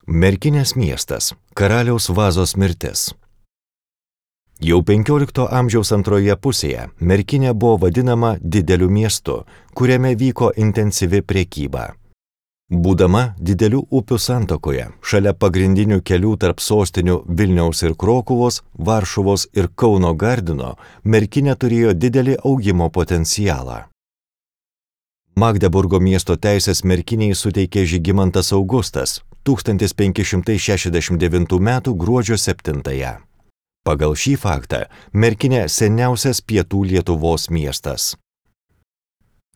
Merkinės miestas – karaliaus Vazos mirtis. Jau 15 amžiaus antroje pusėje Merkinė buvo vadinama dideliu miestu, kuriame vyko intensyvi prekyba. Būdama didelių upių santakoje, šalia pagrindinių kelių tarp sostinių Vilniaus ir Krokuvos, Varšuvos ir Kauno Gardino, Merkinė turėjo didelį augimo potencialą. Magdeburgo miesto teisės Merkinei suteikė Žygimantas Augustas 1569 m. gruodžio 7. Pagal šį faktą Merkinė seniausias pietų Lietuvos miestas.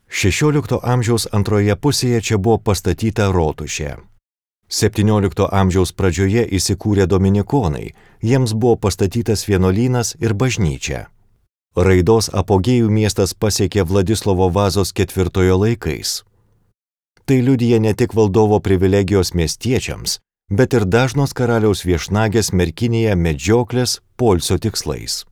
16 amžiaus antroje pusėje čia buvo pastatyta rotušė. 17 amžiaus pradžioje įsikūrė dominikonai, jiems buvo pastatytas vienuolynas ir bažnyčia. Raidos apogėjų miestas pasiekė Vladislovo Vazos IV laikais. Tai liudija ne tik valdovo privilegijos miestiečiams, bet ir dažnos karaliaus viešnagės Merkinėje medžioklės poilsio tikslais.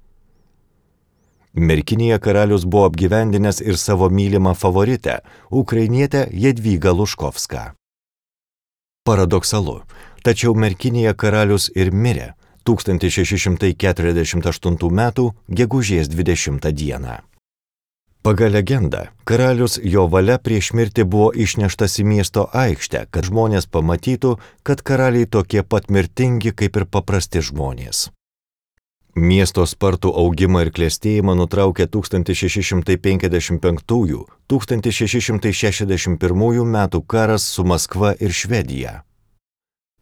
Merkinėje karalius buvo apgyvendinęs ir savo mylimą favoritę, ukrainietę Jadvygą Luškovską. Paradoksalu, tačiau Merkinėje karalius ir mirė 1648 m. gegužės 20 d. Pagal legendą, karalius jo valia prieš mirtį buvo išneštas į miesto aikštę, kad žmonės pamatytų, kad karaliai tokie pat mirtingi kaip ir paprasti žmonės. Miesto spartų augimą ir klestėjimą nutraukė 1655–1661 metų karas su Maskva ir Švedija.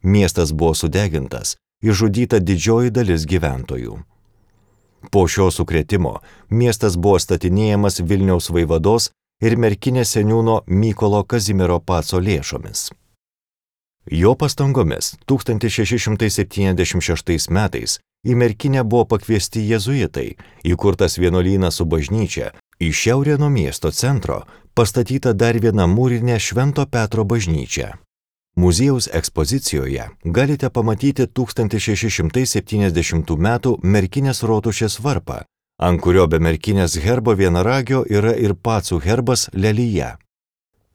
Miestas buvo sudegintas, išžudyta didžioji dalis gyventojų. Po šio sukrėtimo miestas buvo statinėjamas Vilniaus vaivados ir Merkinės seniūno Mykolo Kazimiero Paco lėšomis. Jo pastangomis 1676 metais į Merkinę buvo pakviesti jėzuitai, įkurtas vienuolynas su bažnyčia, į šiaurę nuo miesto centro pastatyta dar viena mūrinė Švento Petro bažnyčia. Muziejaus ekspozicijoje galite pamatyti 1670 m. Merkinės rotušės varpą, ant kurio be Merkinės herbo vienaragio yra ir pacų herbas lelija.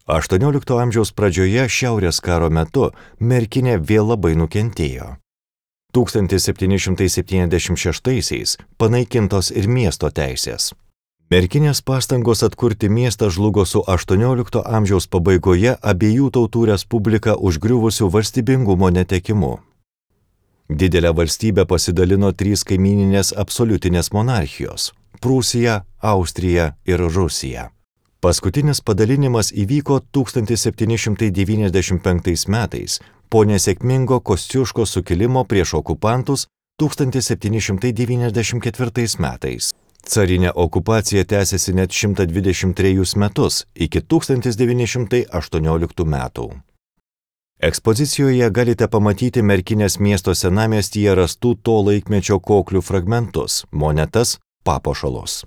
18 amžiaus pradžioje Šiaurės karo metu Merkinė vėl labai nukentėjo. 1776 panaikintos ir miesto teisės. Merkinės pastangos atkurti miestą žlugo su 18 amžiaus pabaigoje abiejų tautų respubliką užgriuvusių valstybingumo netekimu. Didelę valstybę pasidalino 3 kaimyninės absoliutinės monarchijos – Prūsija, Austrija ir Rusija. Paskutinis padalinimas įvyko 1795 metais po nesėkmingo Kosciuškos sukilimo prieš okupantus 1794 metais. Carinė okupacija tęsėsi net 123 metus iki 1918 metų. Ekspozicijoje galite pamatyti Merkinės miesto senamiestyje rastų to laikmečio koklių fragmentus, monetas, papuošalus.